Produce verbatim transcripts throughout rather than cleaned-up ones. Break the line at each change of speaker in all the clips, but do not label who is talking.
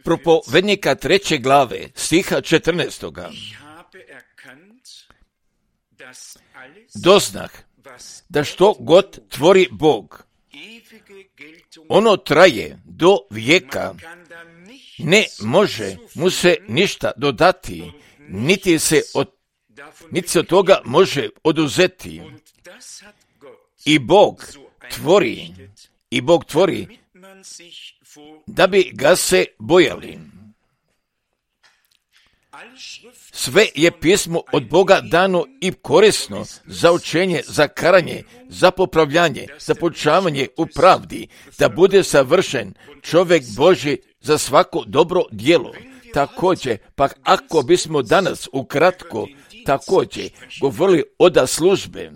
Propovednika treće glave, stiha četrnaestoga. Doznah da što god tvori Bog, ono traje do vijeka, ne može mu se ništa dodati, niti se od, niti se od toga može oduzeti. I Bog tvori, i Bog tvori da bi ga se bojali. Sve je pismo od Boga dano i korisno za učenje, za karanje, za popravljanje, za poučavanje u pravdi, da bude savršen čovjek Božji za svako dobro djelo. Također, pa ako bismo danas ukratko također govorili oda službe,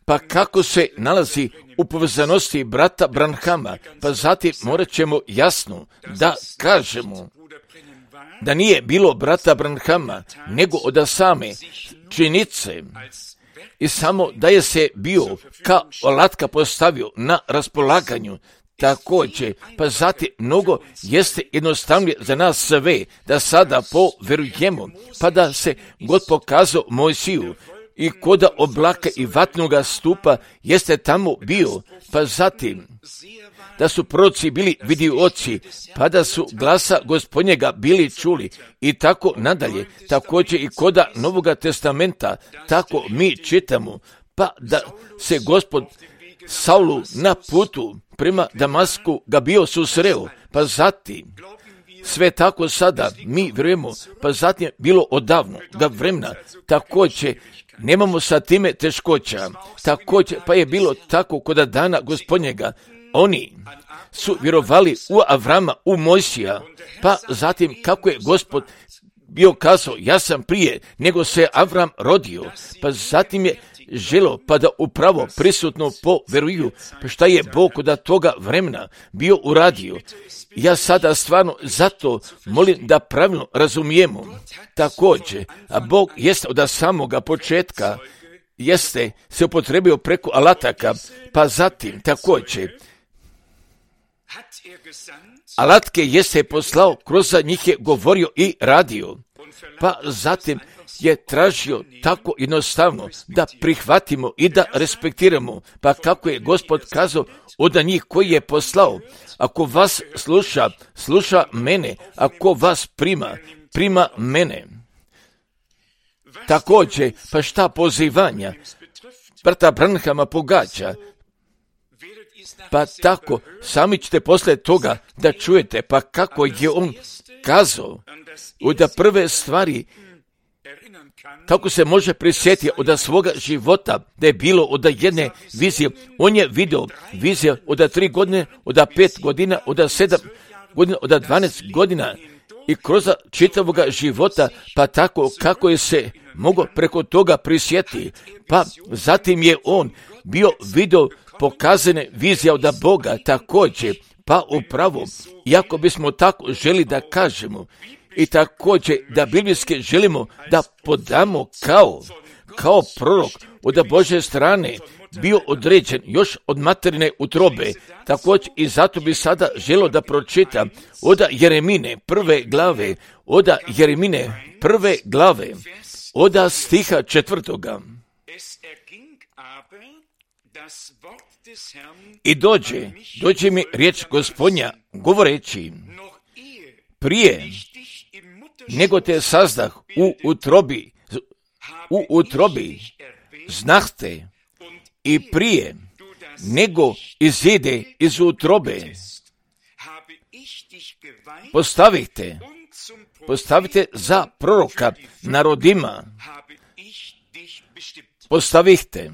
pa kako se nalazi u povezanosti brata Branhama, pa zatim morat ćemo jasno da kažemo da nije bilo brata Branhama, nego od same činjenice i samo da je se bio kao alatka postavio na raspolaganju. Također, pa zatim mnogo jeste jednostavnije za nas sve da sada poverujemo, pa da se God pokazao Mojsiju i koda oblaka i vatnoga stupa jeste tamo bio, pa zatim da su proroci bili vidioci, pa da su glasa Gospodnjega bili čuli i tako nadalje. Također i koda Novoga testamenta, tako mi čitamo, pa da se Gospod Saulu na putu prema Damasku ga bio susreo, pa zatim sve tako sada mi vjerujemo, pa zatim je bilo odavno ga vremena, također nemamo sa time teškoća, također pa je bilo tako kod dana Gospodnjega, oni su vjerovali u Avrama, u Mojsija, pa zatim kako je Gospod bio kazao, ja sam prije nego se Avram rodio, pa zatim je želo pa da upravo prisutno poveruju, pa šta je Bog od toga vremena bio uradio. Ja sada stvarno zato molim da pravilno razumijemo. Također, a Bog jeste od samoga početka, jeste se upotrebio preko alataka, pa zatim također alatke jeste poslao, kroz njih je govorio i radio, pa zatim je tražio tako jednostavno da prihvatimo i da respektiramo, pa kako je Gospod kazao od njih koji je poslao, ako vas sluša, sluša mene, ako vas prima, prima mene. Također, pa šta pozivanja brata Branhama pogađa, pa tako sami ćete poslije toga da čujete, pa kako je on kazao od prve stvari, kako se može prisjetiti od svoga života da je bilo od jedne vizije. On je vidio vizije od tri godine, od pet godina, od sedam godina, od dvanaest godina i kroz čitavoga života, pa tako kako je se mogao preko toga prisjetiti. Pa zatim je on bio vidio pokazane vizije od Boga također, pa upravo, iako bismo tako želi da kažemo, i također da biblijski želimo da podamo kao, kao prorok od Božje strane bio određen još od materine utrobe. Također i zato bi sada želio da pročitam od Jeremine prve glave, od Jeremine prve glave, od stiha četvrtoga. I dođe, dođe mi riječ Gospodnja govoreći, prije nego te sazdah u utrobi, u utrobi znahte i prije nego izide iz utrobe postavite, postavite za proroka narodima, postavite.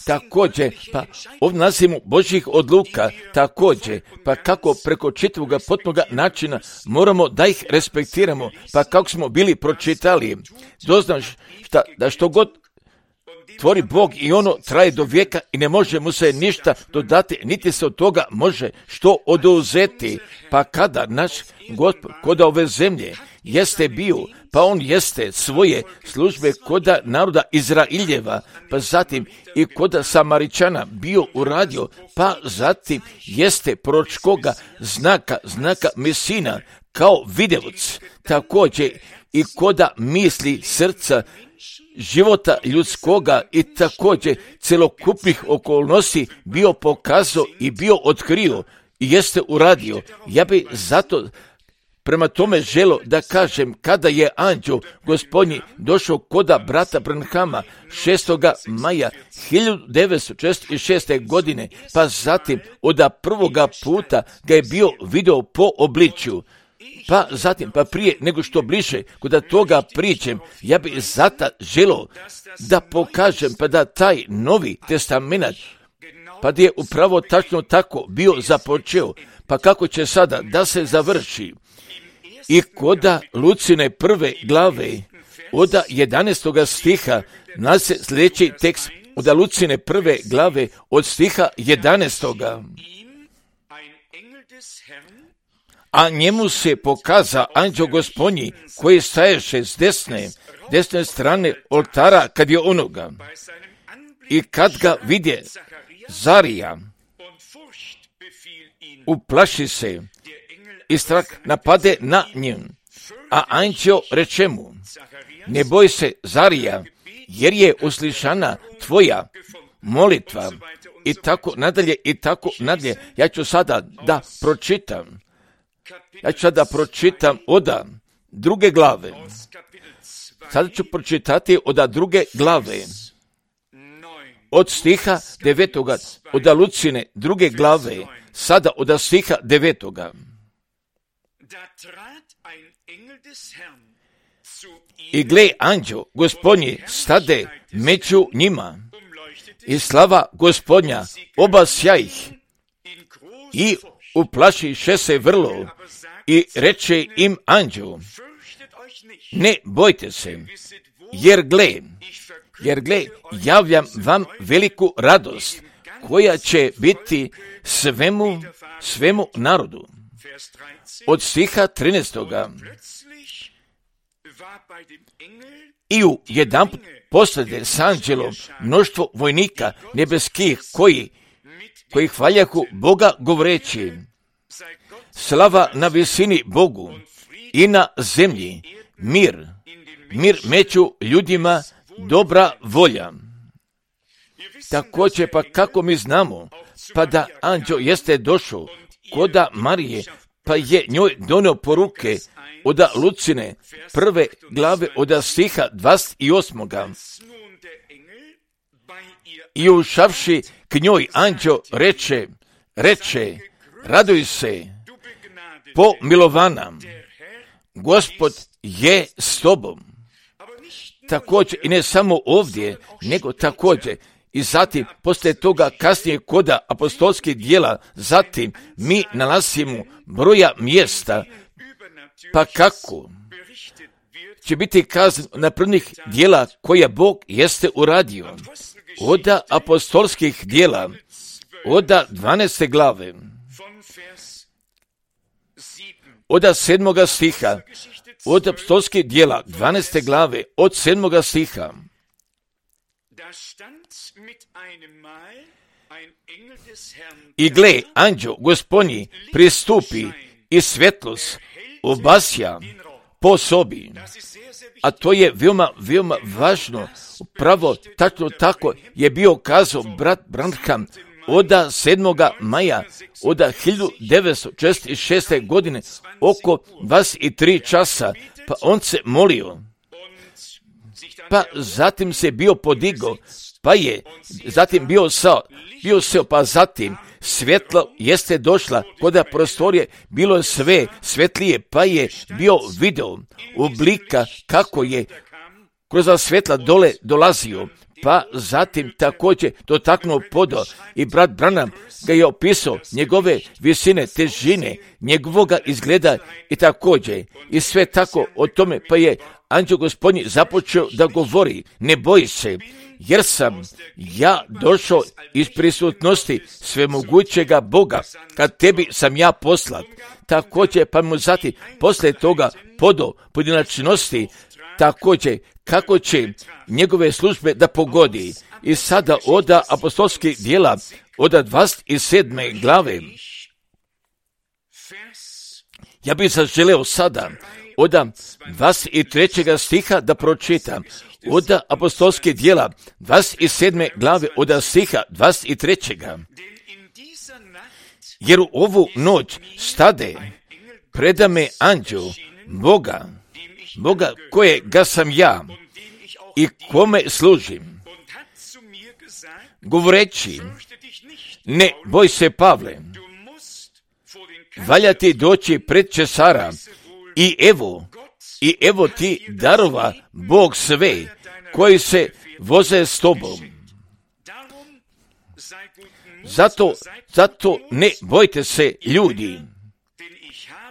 Također, pa ovdje nalazimo Božjih odluka, također, pa kako preko čitavoga potpunoga načina moramo da ih respektiramo, pa kako smo bili pročitali, doznaš šta, da što god tvori Bog i ono traje do vijeka i ne može mu se ništa dodati, niti se od toga može što oduzeti. Pa kada naš Gospod kod ove zemlje jeste bio, pa on jeste svoje službe kod naroda Izraeljeva, pa zatim i kod Samaričana bio uradio, pa zatim jeste proročkoga znaka, znaka Mesina, kao videoc, također i koda misli srca života ljudskoga i također celokupnih okolnosti bio pokazao i bio otkrio i jeste uradio. Ja bi zato prema tome želo da kažem, kada je anđeo Gospodnji došao koda brata Branhama šestoga maja hiljadu devetsto četrdeset šeste. godine, pa zatim od prvoga puta ga je bio video po obličju. Pa zatim, pa prije nego što bliže kod toga pričem, ja bi zata želo da pokažem pa da taj Novi Testament, pa da je upravo tačno tako bio započeo, pa kako će sada da se završi. I koda Lucine prve glave, od jedanaestoga stiha, nas se sljedeći tekst od Lucine prve glave, od stiha jedanaestoga. A njemu se pokaza anđeo Gospodnji koji staješe s desne, desne strane oltara kad je onoga. I kad ga vidje Zarija, uplaši se i strah napade na njem. A anđeo reče mu, ne boj se Zarija, jer je uslišana tvoja molitva. I tako nadalje, i tako nadalje. Ja ću sada da pročitam. Ja ću sada pročitam od druge glave. Sada ću pročitati od druge glave. Od stiha devetoga, od Lucine druge glave, sada od stiha devetoga. I gle, anđeo Gospodnji stade među njima i slava Gospodnja obasja ih i uplašiše se vrlo i reče im anđeo, ne bojte se, jer gle, jer gle, javljam vam veliku radost koja će biti svemu, svemu narodu. Od stiha trinaestoga. I u jedan put poslede s anđelom mnoštvo vojnika nebeskih koji, koji hvaljahu Boga govoreći, slava na visini Bogu i na zemlji mir, mir među ljudima, dobra volja. Također, pa kako mi znamo, pa da anđeo jeste došao koda Marije, pa je njoj donio poruke od Lucine prve glave od stiha dvadeset osam. I ušavši k njoj anđeo reče, reče, raduj se, pomilovana, Gospod je s tobom. Također, i ne samo ovdje, nego također, i zatim, poslije toga kasnije koda apostolskih dijela, zatim mi nalazimo broja mjesta, pa kako će biti kazan na prvnih dijela koja Bog jeste uradio. Od apostolskih dijela, od dvanaeste glave, od sedmoga stiha, od apostolskih dijela, dvanaeste glave, od sedmoga stiha. I gle, anđeo Gospodnji pristupi i svjetlost obasja po sobi. A to je veoma, veoma važno. Upravo tačno tako je bio kazao brat Branham od sedmoga maja od hiljadu devetsto četrdeset šeste. godine oko dvadeset tri časa, pa on se molio. Pa zatim se bio podigao, pa je zatim bio sao, bio seo, pa zatim svjetlo jeste došla, kod prostorije bilo je sve svetlije, pa je bio video oblika kako je kroz svjetla dole dolazio, pa zatim također dotaknuo podo i brat Branham ga je opisao njegove visine, težine, njegovoga izgleda i također i sve tako o tome, pa je anđeo Gospodnji započeo da govori, ne boji se, jer sam ja došao iz prisutnosti svemogućega Boga, kad tebi sam ja poslat. Također, pa mu zatim poslije toga podo pojedinačnosti, također kako će njegove službe da pogodi. I sada oda apostolskih djela, oda dvadeset sedme glave. Ja bih zaželeo sada oda dvadeset trećeg stiha da pročitam. Oda apostolskih djela, dvadeset sedme glave, oda stiha dvadeset trećeg. Jer u ovu noć stade preda me anđel Boga, Boga kojega sam ja i kome služim, govoreći, ne boj se, Pavle, valja ti doći pred Cesara i evo, i evo ti darova Bog sve koji se voze s tobom. Zato, zato ne bojte se, ljudi,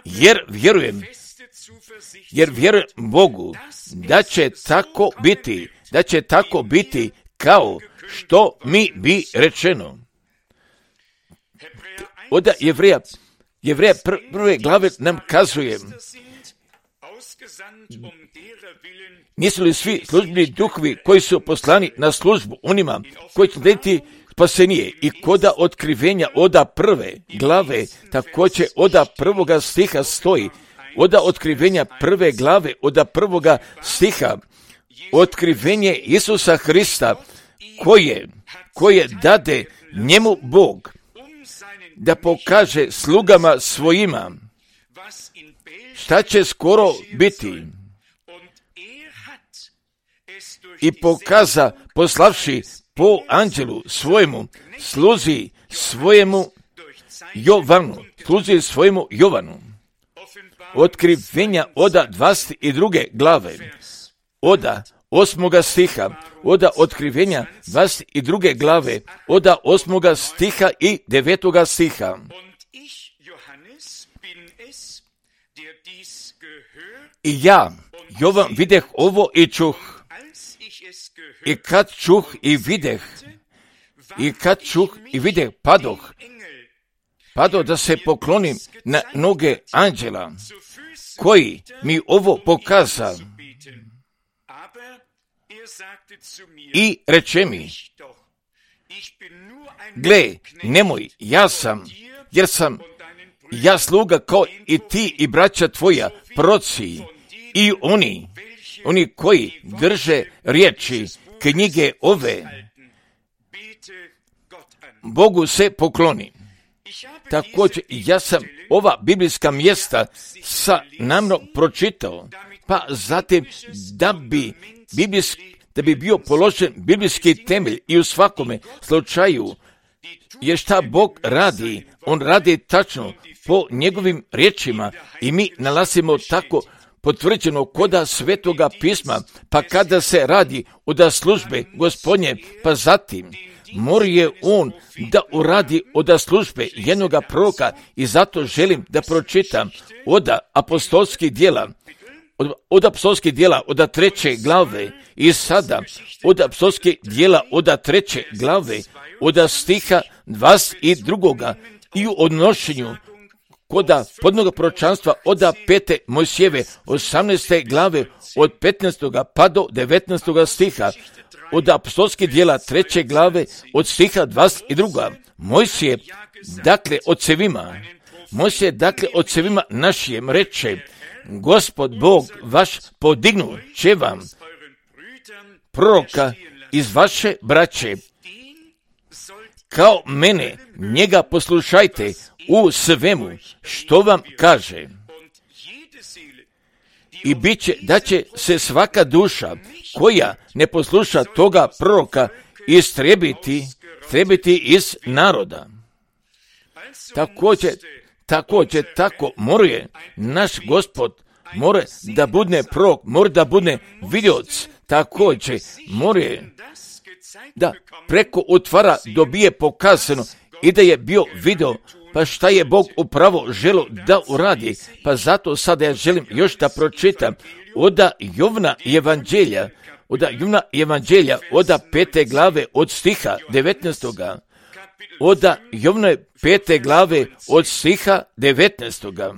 jer vjerujem, jer vjerujem Bogu da će tako biti, da će tako biti kao što mi bi rečeno. Od Jevreja, Jevreja prve glave nam kazuje, nisu li svi službeni duhovi koji su poslani na službu onima koji će dati spasenije, i koda otkrivenja oda prve glave, također oda prvoga stiha stoji, oda otkrivenja prve glave, oda prvoga stiha, otkrivenje Isusa Hrista, koje, koje dade njemu Bog, da pokaže slugama svojima šta će skoro biti, i pokaza poslavši po anđelu svojemu, sluzi svojemu Jovanu, sluzi svojemu Jovanu. Otkrivenja oda dvadeset druge glave, oda osmoga stiha, oda otkrivenja dvadeset druge glave, oda osmoga stiha i devetoga stiha. I ja, Jovan, videh ovo i čuh. I kad čuh i videh, i kad čuh i videh, padoh, padoh da se poklonim na noge anđela, koji mi ovo pokaza. I reče mi, gle, nemoj, ja sam, jer sam ja sluga kao i ti i braća tvoja, proroci, i oni, oni koji drže riječi knjige ove, Bogu se pokloni. Također, ja sam ova biblijska mjesta sa namno pročitao, pa zatim da bi, biblijski, da bi bio položen biblijski temelj i u svakome slučaju, jer šta Bog radi, on radi tačno po njegovim riječima i mi nalazimo tako potvrđeno koda Svetoga pisma, pa kada se radi od službe Gospodnje, pa zatim mora je on da uradi od službe jednoga proroka, i zato želim da pročitam od apostolskih djela, od, od apostolskih djela od treće glave, i sada od apostolskih djela od treće glave, od stiha dvadeset drugoga i u odnošenju koda podnoga proročanstva od pete Mojsijeve osamnaeste glave od petnaestoga pa do devetnaestoga stiha, od apostolskih djela treće glave od stiha dvadeset drugoga. Mojsije, dakle, ocevima, Mojsije, dakle, ocevima našijem reče, Gospod Bog vaš podignu će vam proroka iz vaše braće, kao mene, njega poslušajte u svemu što vam kaže. I bit će da će se svaka duša koja ne posluša toga proroka istrebiti, trebiti iz naroda. Također, također, tako mora naš Gospod, mora da bude prorok, mora da bude vidioc, također mora da preko utvara dobije pokazano i da je bio video, pa šta je Bog upravo želio da uradi. Pa zato sada ja želim još da pročitam od Jovna evanđelja, od Jovana evanđelja, od pete glave, od stiha devetnaestoga. Od Jovana pete glave, od stiha devetnaestoga.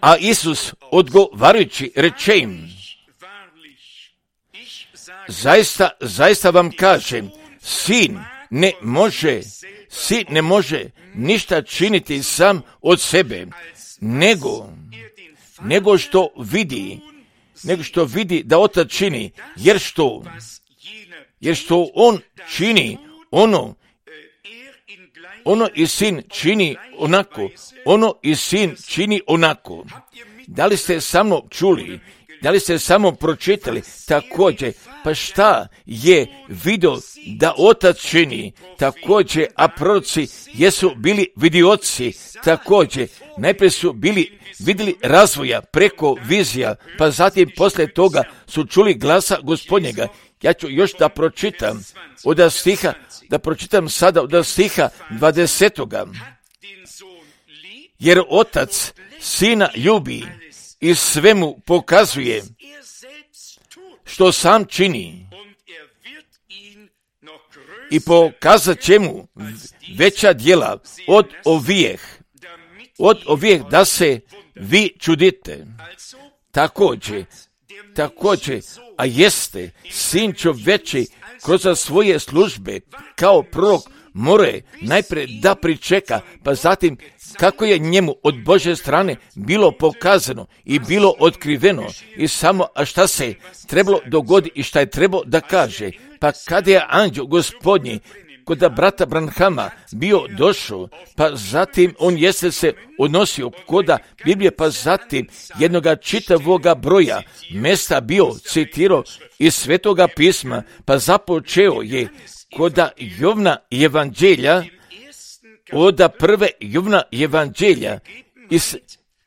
A Isus odgovarajući reče im, zaista, zaista vam kažem, sin ne može, sin ne može ništa činiti sam od sebe, nego, nego što vidi, nego što vidi da otac čini, jer što, jer što on čini, ono, ono i sin čini onako, ono i sin čini onako. Da li ste samo čuli, da li ste samo pročitali također, pa šta je vidio da otac čini, također, a proroci jesu bili vidioci, također, najprije su bili vidjeli razvoja preko vizija, pa zatim poslije toga su čuli glasa Gospodnjega. Ja ću još da pročitam od stiha, da pročitam sada od stiha dvadesetoga. Jer otac sina ljubi i sve mu pokazuje što sam čini i pokazat će mu veća djela od ovijeh, od ovijeh da se vi čudite. Također, također, a jeste sin čovječi kroz svoje službe kao prorok more najprije da pričeka, pa zatim kako je njemu od Božje strane bilo pokazano i bilo otkriveno i samo a šta se trebalo dogoditi i šta je trebalo da kaže. Pa kada je anđeo Gospodnji kod brata Branhama bio došao, pa zatim on jeste se odnosio koda Biblije, pa zatim jednoga čitavoga broja mjesta bio citirao iz Svetoga pisma, pa započeo je koda Jovana evanđelja, od prve Jovana evanđelja iz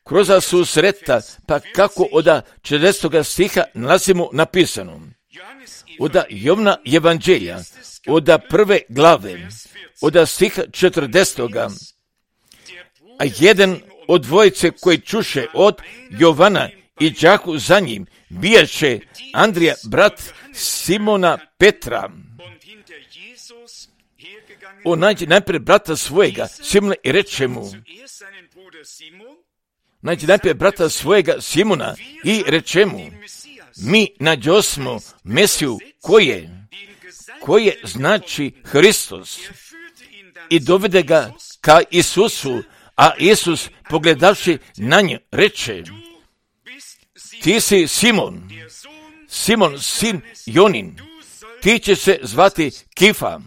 kroz susreta, pa kako od četrdesetog stiha nalazimo napisano. Od Jovana evanđelja, od prve glave, od stiha četrdesetog. A jedan od dvojice koji čuše od Jovana i đaku za njim bijaše Andrija, brat Simona Petra. On nađe najprije brata svojega Simona i reče mu, nađe najprije brata svojega Simona i reče mu, mi nađosmo Mesiju koje, koje znači Hristos, i dovede ga ka Isusu, a Isus pogledavši na nju reče, ti si Simon, Simon sin Jonin, ti će se zvati Kifa.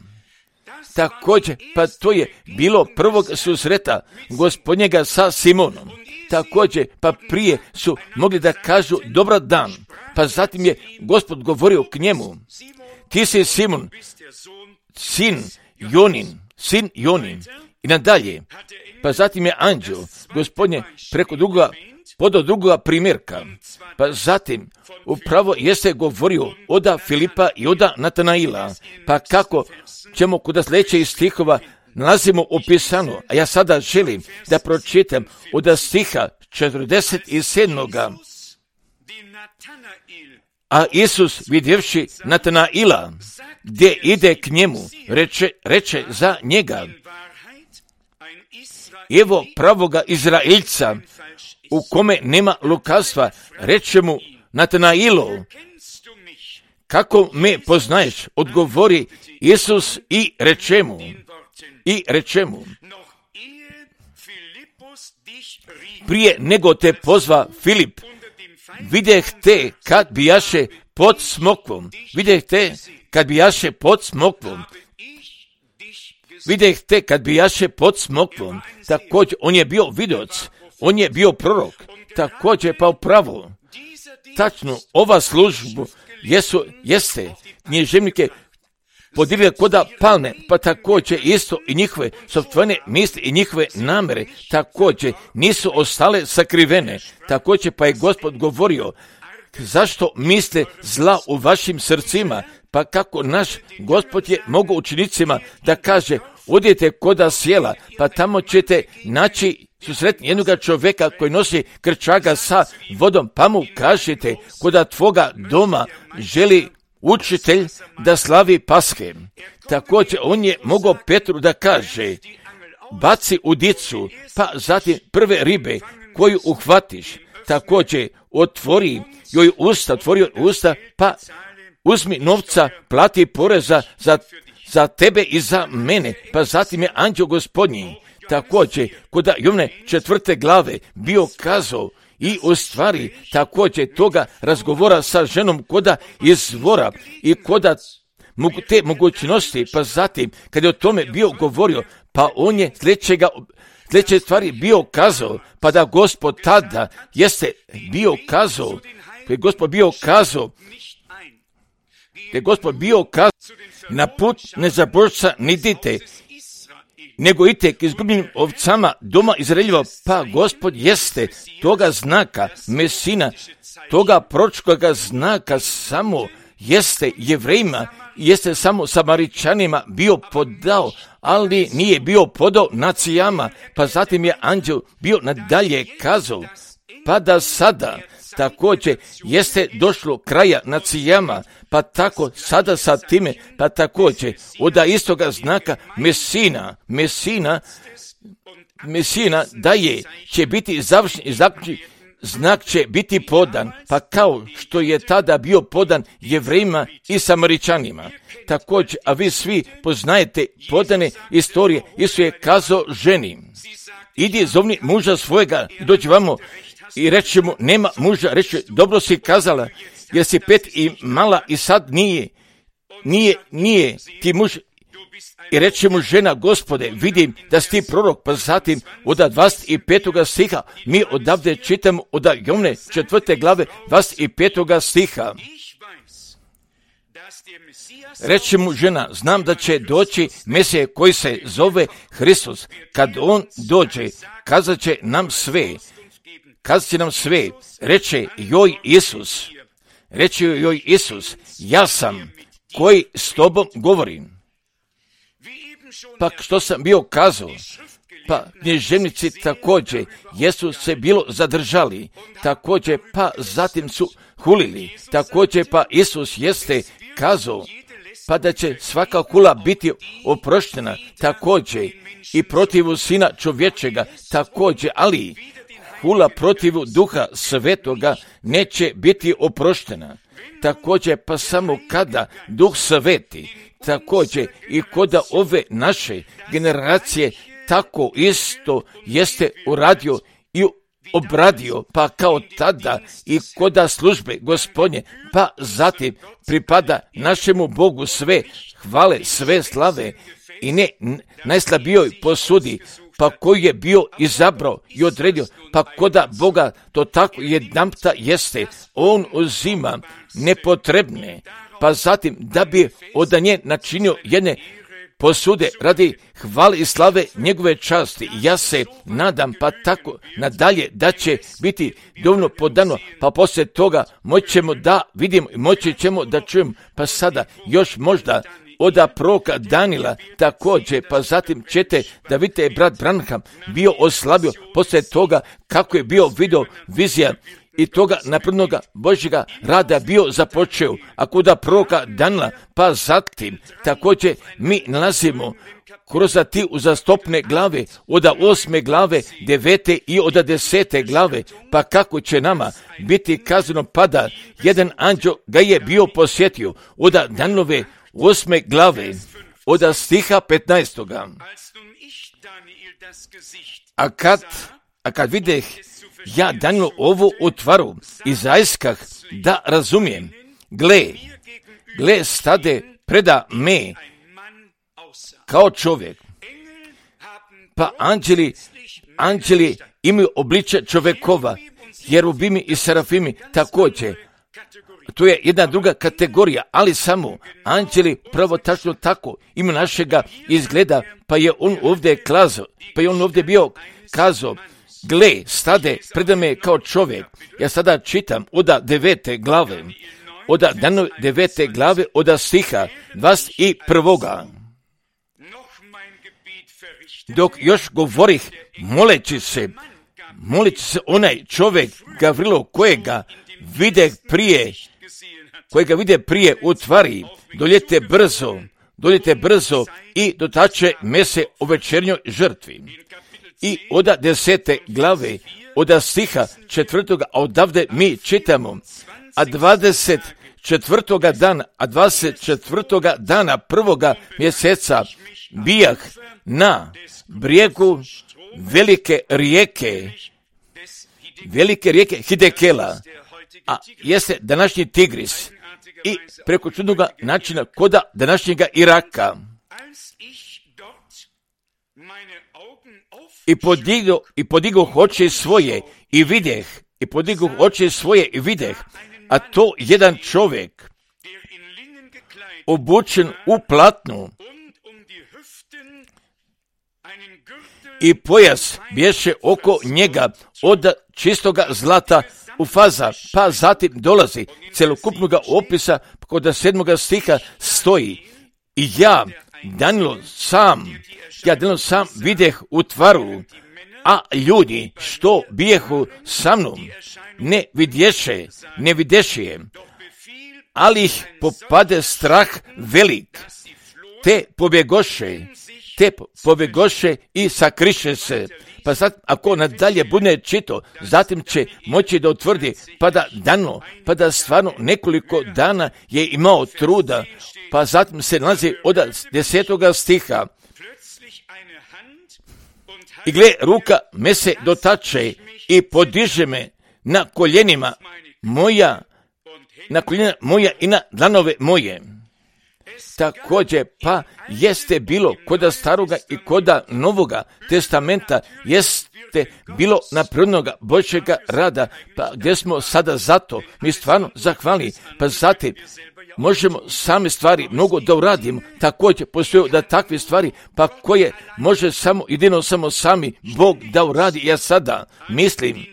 Također, pa to je bilo prvog susreta Gospodnjega sa Simonom. Također, pa prije su mogli da kažu dobar dan, pa zatim je Gospod govorio k njemu, ti si Simon, sin Jonin, sin Jonin, i nadalje. Pa zatim je anđeo Gospodnje preko drugoga, podao drugoga primjerka, pa zatim upravo jeste govorio oda Filipa i oda Natanaila, pa kako ćemo kod sljedećih stihova nalazimo opisano, a ja sada želim da pročitam od stiha četrdeset sedam. A Isus vidjevši Natanaila, gdje ide k njemu, reče, reče za njega, evo pravoga Izraeljca, u kome nema lukavstva, reče mu Natanailo, kako me poznaješ, odgovori Isus i reče mu, i reče mu, prije nego te pozva Filip, videh te kad bijaše pod smokvom, videh te kad bijaše pod smokvom, videh te kad bijaše pod smokvom. Također, on je bio vidoc, on je bio prorok, također pa upravo, tačno ova služba jesu, jeste knježevnike podijelile koda palne, pa također isto i njihove sopstvene misli i njihove namere također nisu ostale sakrivene. Također pa je Gospod govorio, zašto misle zla u vašim srcima, pa kako naš Gospod je mogao učenicima da kaže, odite koda sjela, pa tamo ćete naći susretni jednoga čovjeka koji nosi krčaga sa vodom, pa mu kažete koda tvoga doma želi učitelj da slavi Paske. Također on je mogao Petru da kaže, baci udicu, pa zatim prve ribe koju uhvatiš, također otvori joj usta, otvori joj usta, pa uzmi novca, plati poreza za, za tebe i za mene, pa zatim je anđeo Gospodnji također kod Jovne četvrte glave bio kazao i u stvari također toga razgovora sa ženom koda izvora i koda te mogućnosti, pa zatim kad je o tome bio govorio, pa on je sljedećega sljedeće stvari bio kazao, pa da Gospod tada jeste bio kazao, kad je Gospod bio kazao, kad je Gospod bio kazao, na put nezabožca nidite, nego idite k izgubljenim ovcama doma Izraeljeva, pa Gospod jeste toga znaka, Mesina, toga proročkoga znaka samo jeste Jevrejima, jeste samo Samaričanima bio podao, ali nije bio podao nacijama, pa zatim je anđel bio nadalje kazao, pa da sada također jeste došlo kraja nacijama, pa tako sada sa time, pa također od istoga znaka Mesina, Mesina, Mesina da je, će biti završen i zaključen, znak će biti podan, pa kao što je tada bio podan Jevrejima i Samaričanima. Također, a vi svi poznajete podane istorije, Isus je kazao ženi, idi zovni muža svojega, dođi vamo i reći mu, nema muža, reći, dobro si kazala, jer si pet i mala i sad nije, nije, nije ti muž. I reći mu žena, Gospode, vidim da si ti prorok, pa zatim od dvadeset petog stiha, mi odavde čitamo od Jovne četvrte glave dvadeset petog stiha. Reći mu žena, znam da će doći Mesije koji se zove Hristos. Kad on dođe, kazat će nam sve, kazat će nam sve, reče joj Isus, reče joj Isus, ja sam koji s tobom govorim. Pa što sam bio kazao, pa književnici također jesu se bilo zadržali, također pa zatim su hulili, također pa Isus jeste kazao, pa da će svaka hula biti oproštena, također i protivu Sina čovječega, također, ali hula protivu Duha Svetoga neće biti oproštena. Također pa samo kada Duh Sveti, također i koda ove naše generacije tako isto jeste uradio i obradio, pa kao tada i koda službe Gospodnje, pa zatim pripada našemu Bogu sve hvale, sve slave i ne najslabijoj posudi, pa koji je bio izabrao i odredio, pa koda Boga to tako jedanputa jeste, on uzima nepotrebne, pa zatim da bi od nje načinio jedne posude radi hvale i slave njegove časti. Ja se nadam pa tako nadalje da će biti dovoljno podano, pa poslije toga moćemo da vidimo i moći ćemo da čujemo, pa sada još možda od proroka Danila također, pa zatim ćete da vidite brat Branham bio oslabio poslije toga kako je bio video vizija i toga naprednoga Božjega rada bio započeo, a kuda proroka Danila, pa zatim također mi nalazimo kroz ti uzastopne glave, od osme glave, devete i od desete glave, pa kako će nama biti kazano, pada jedan anđeo ga je bio posjetio, od Danilove osme glave, od stiha petnaestoga. A kad, a kad videh ja Danielu ovu utvaru i zaiskah da razumijem, gle, gle stade preda me kao čovjek, pa anđeli, anđeli imaju obliče čovjekova, jerubimi i serafimi također. To je jedna druga kategorija, ali samo anđeli pravo tačno tako ima našega izgleda, pa je on ovdje kazao, pa je on ovdje bio kazao, gle, stade preda me kao čovjek. Ja sada čitam od devete glave, od devete glave, od stiha dvadeset prvoga. dok još govorih, moleći se, moleći se onaj čovjek Gavrilo kojega vide prije, kojega vide prije u tvari, doljete brzo, doljete brzo i dotače mese u večernjoj žrtvi. I oda desete glave, oda stiha četvrtoga, a odavde mi čitamo, a dvadeset četvrtoga dana, a dvadeset četvrtoga dana prvoga mjeseca bijah na brijegu velike rijeke, velike rijeke Hidekela, a jeste današnji Tigris, i preko čudnoga načina koda današnjega Iraka. I podigao, i podigao oči svoje i videh, i podigao oči svoje i videh, a to jedan čovjek obučen u platnu i pojas bješe oko njega od čistoga zlata u faza, pa zatim dolazi celokupnog opisa kod sedmoga stiha stoji i ja, Danilo sam, ja Danilo sam videh u tvaru, a ljudi što bijehu sa mnom ne vidješe, ne vidješe je, ali ih popade strah velik, te pobjegoše, te pobjegoše i sakriše se. Pa sad, ako nadalje bude čito, zatim će moći da utvrdi, pa da dano, pa da stvarno nekoliko dana je imao truda, pa zatim se nalazi od desetoga stiha. I gle, ruka me se dotače i podiže me na koljenima moja, na koljena moja i na dlanove moje. Također, pa jeste bilo koda staroga i koda novoga testamenta, jeste bilo napravljenoga Božjega rada, pa gdje smo sada zato, mi stvarno zahvalni, pa zatim možemo same stvari mnogo da uradimo, također postoje da takve stvari, pa koje može samo, jedino samo sami Bog da uradi. Ja sada mislim,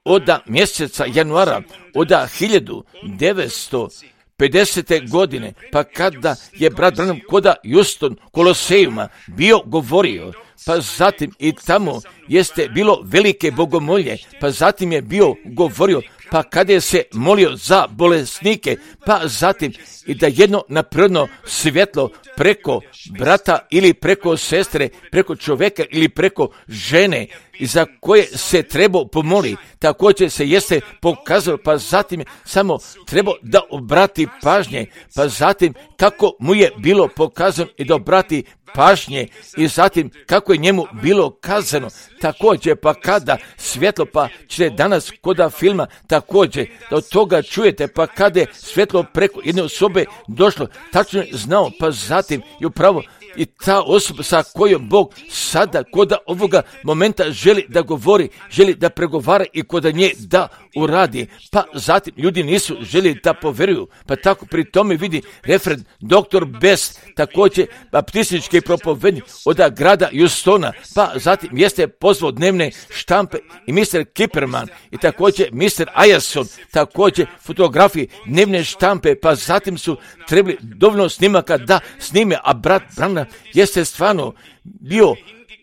od mjeseca januara, od hiljadu devetsto pedesete godine, pa kada je brat Branham koda Houston Kolosejuma bio govorio, pa zatim i tamo jeste bilo velike bogomolje, pa zatim je bio govorio, pa kada je se molio za bolesnike, pa zatim i da jedno naprirodno svjetlo preko brata ili preko sestre, preko čovjeka ili preko žene i za koje se trebao pomoli, također se jeste pokazalo, pa zatim je samo trebao da obrati pažnje, pa zatim kako mu je bilo pokazano i da obrati pažnje i zatim kako je njemu bilo kazano, također pa kada svjetlo, pa ćete danas koda filma također da od toga čujete, pa kada je svjetlo preko jedne osobe došlo, tačno je znao, pa zatim je upravo i ta osoba sa kojom Bog sada koda ovoga momenta želi da govori, želi da pregovara i koda nje da uradi, pa zatim ljudi nisu želi da poveruju, pa tako pri tome vidi referent doktor Best, također baptistički propovednik od grada Houstona, pa zatim jeste pozvao dnevne štampe i mister Kipperman i također mister Ajason, također fotografije dnevne štampe, pa zatim su trebali dovoljno snimaka da snime, a brat Branham jeste stvarno bio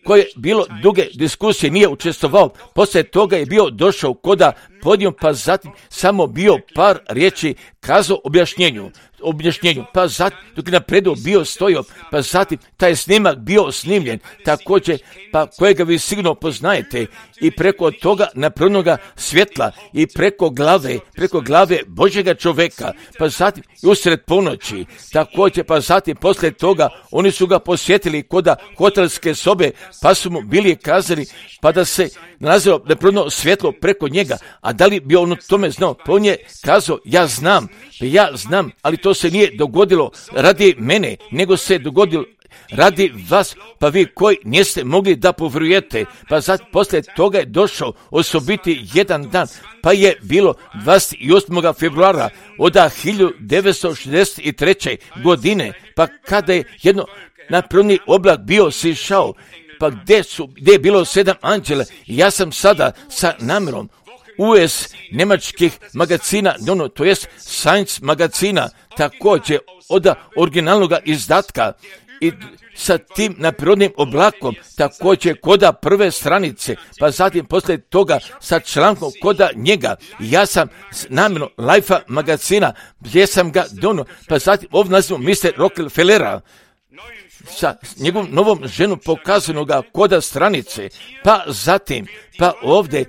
koje je bilo duge diskusije, nije učestvovao, poslije toga je bio došao koda podijom, pa zatim samo bio par riječi kazao objašnjenju, objašnjenju, pa zatim dok je napredu bio stojio, pa zatim taj snimak bio snimljen, također pa kojega vi sigurno poznajete i preko toga napravljenoga svjetla i preko glave, preko glave Božjega čovjeka, pa zatim i usred ponoći, također pa zatim poslije toga oni su ga posjetili koda hotelske sobe, pa su mu bili kazali pa da se nalazilo napravljeno svjetlo preko njega, a da li bi on o tome znao, pa on je kazao ja znam, ja znam, ali to se nije dogodilo radi mene, nego se dogodilo radi vas, pa vi koji niste mogli da povjerujete, pa sad poslije toga je došao osobiti jedan dan, pa je bilo dvadeset osmog februara od hiljadu devetsto šezdeset treće godine, pa kada je jedno napravljeni oblak bio sišao, pa gdje su, gdje je bilo sedam anđela, ja sam sada sa namjerom U S njemačkih magazina, no, to jest Science magazina, također od originalnog izdatka i sa tim naprirodnim oblakom, također koda prve stranice, pa zatim poslije toga sa člankom koda njega. Ja sam namjerno Life magazina, gdje sam ga dono, pa zatim ovdje nazivamo mister Rockefellera, sa njegovom novom ženom pokazanoga koda stranice, pa zatim, pa ovdje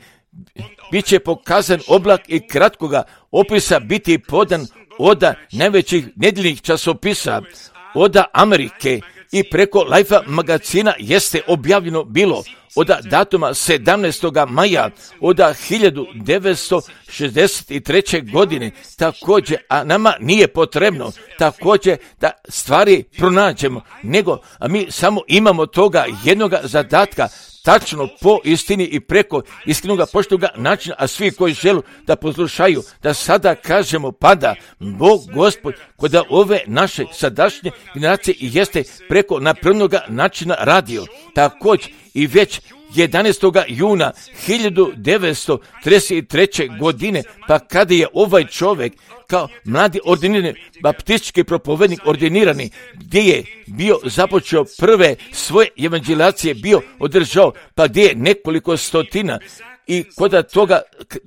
bit će pokazan oblak i kratkoga opisa biti podan oda najvećih nedjeljnih časopisa, oda Amerike i preko Life magazina jeste objavljeno bilo od datuma sedamnaestog maja od hiljadu devetsto šezdeset treće. godine, također, a nama nije potrebno također da stvari pronađemo, nego a mi samo imamo toga jednoga zadatka, tačno po istini i preko iskrenoga poštoga načina, a svi koji žele da poslušaju, da sada kažemo pada Bog Gospod kod ove naše sadašnje generacije i jeste preko naprednog načina radio. Također i već jedanaestog juna hiljadu devetsto trideset treće. godine, pa kada je ovaj čovjek kao mladi ordinirani baptistički propovednik ordinirani, gdje je bio započeo prve svoje evanđelizacije, bio održao, pa gdje je nekoliko stotina i koda toga,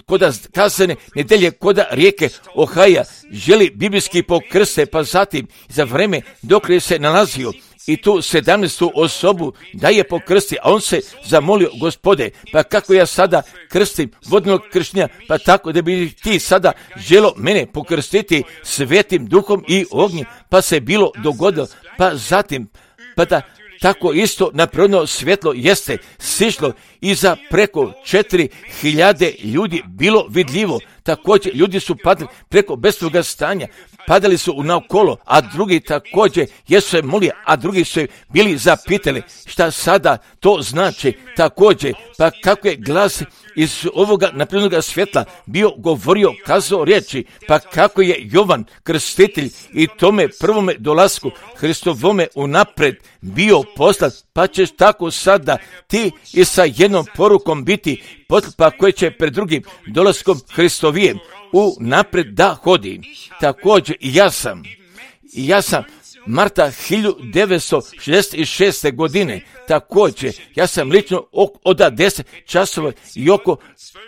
koda kazane nedelje, koda rijeke Ohaja želi biblijski pokrste, pa zatim za vreme dok je se nalazio i tu sedamnaestu osobu da je pokrsti, a on se zamolio, Gospode, pa kako ja sada krstim vodnog krštenja, pa tako da bi ti sada želo mene pokrstiti svetim duhom i ognjem, pa se bilo dogodilo, pa zatim, pa da tako isto naprirodno svjetlo jeste sišlo i za preko četiri hiljade ljudi bilo vidljivo. Također ljudi su padali preko bestvog stanja, padali su naokolo, a drugi također jesu se molili, a drugi su bili zapitali šta sada to znači. Također, pa kako je glas iz ovoga naprednog svjetla bio govorio, kazao riječi, pa kako je Jovan krstitelj i tome prvome dolasku Hristovome unapred bio poslat, pa ćeš tako sada ti i sa jednom porukom biti potpa koje će pred drugim dolaskom Hristovijem unapred da hodi. Također i ja sam, i ja sam marta hiljadu devetsto šezdeset šeste. godine, također, ja sam lično od deset časova i oko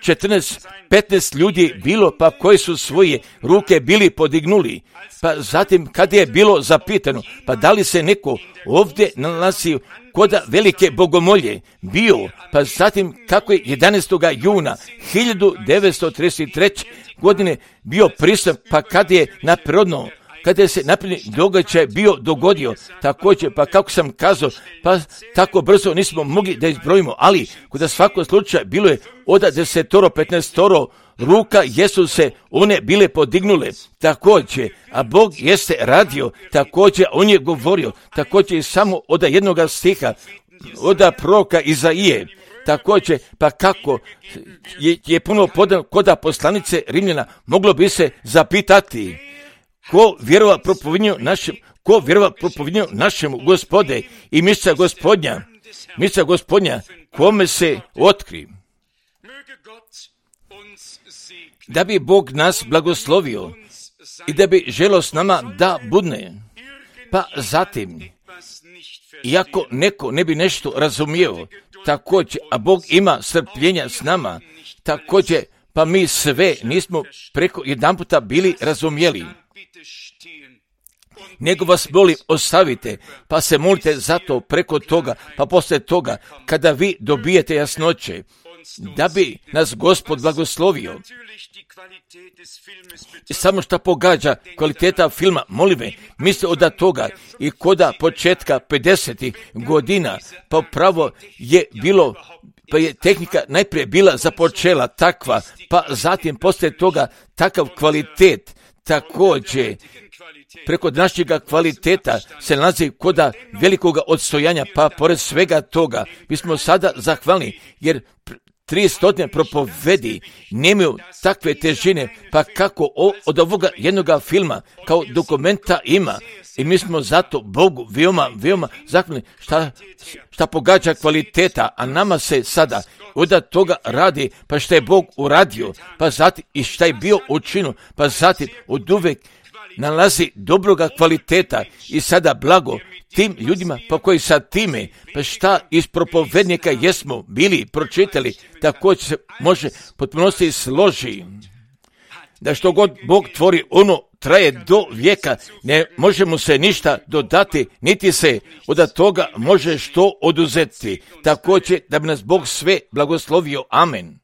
četrnaest petnaest ljudi bilo, pa koji su svoje ruke bili podignuli. Pa zatim, kada je bilo zapitano, pa da li se neko ovdje nalazio kod velike bogomolje bio, pa zatim kako je jedanaestog juna hiljadu devetsto trideset treće. godine bio prisutan, pa kada je naprirodno, kada je se napredni događaj bio dogodio, također, pa kako sam kazao, pa tako brzo nismo mogli da izbrojimo, ali kod svakog slučaja bilo je od desetoro, petnaestoro ruka jesu se one bile podignule, također, a Bog jeste radio, također, on je govorio, također i samo od jednoga stiha, od proroka Izaije, također, pa kako je, je puno podan kod poslanice Rimljana, moglo bi se zapitati, ko vjerova propovednju našem, ko vjerova propovednju našemu Gospode i misa Gospodnja, misa Gospodnja, kome se otkri. Da bi Bog nas blagoslovio i da bi želo s nama da budne, pa zatim, iako neko ne bi nešto razumio, također, a Bog ima strpljenja s nama, također, pa mi sve nismo preko jedan puta bili razumjeli. Nego vas molim, ostavite, pa se molite zato preko toga, pa poslije toga, kada vi dobijete jasnoće, da bi nas Gospod blagoslovio. I samo što pogađa kvaliteta filma, molim me, misle od toga i koda početka pedesetih godina, pa pravo je bilo, pa je tehnika najprije bila započela takva, pa zatim poslije toga takav kvalitet, također, preko našega kvaliteta se nalazi koda velikoga odstojanja, pa pored svega toga, mi smo sada zahvalni, jer tri stotine propovedi nemaju takve težine, pa kako od ovoga jednoga filma kao dokumenta ima. I mi smo zato Bogu veoma, veoma zahvalni šta, šta pogađa kvaliteta, a nama se sada od toga radi, pa šta je Bog uradio, pa zatim i šta je bio učinio, pa zatim od uvek nalazi dobroga kvaliteta i sada blago tim ljudima pa koji sa time, pa šta iz propovednika jesmo bili pročitali, također se može potpunosti složi. Da što god Bog tvori, ono traje do vijeka, ne možemo se ništa dodati, niti se od toga može što oduzeti. Također da bi nas Bog sve blagoslovio. Amen.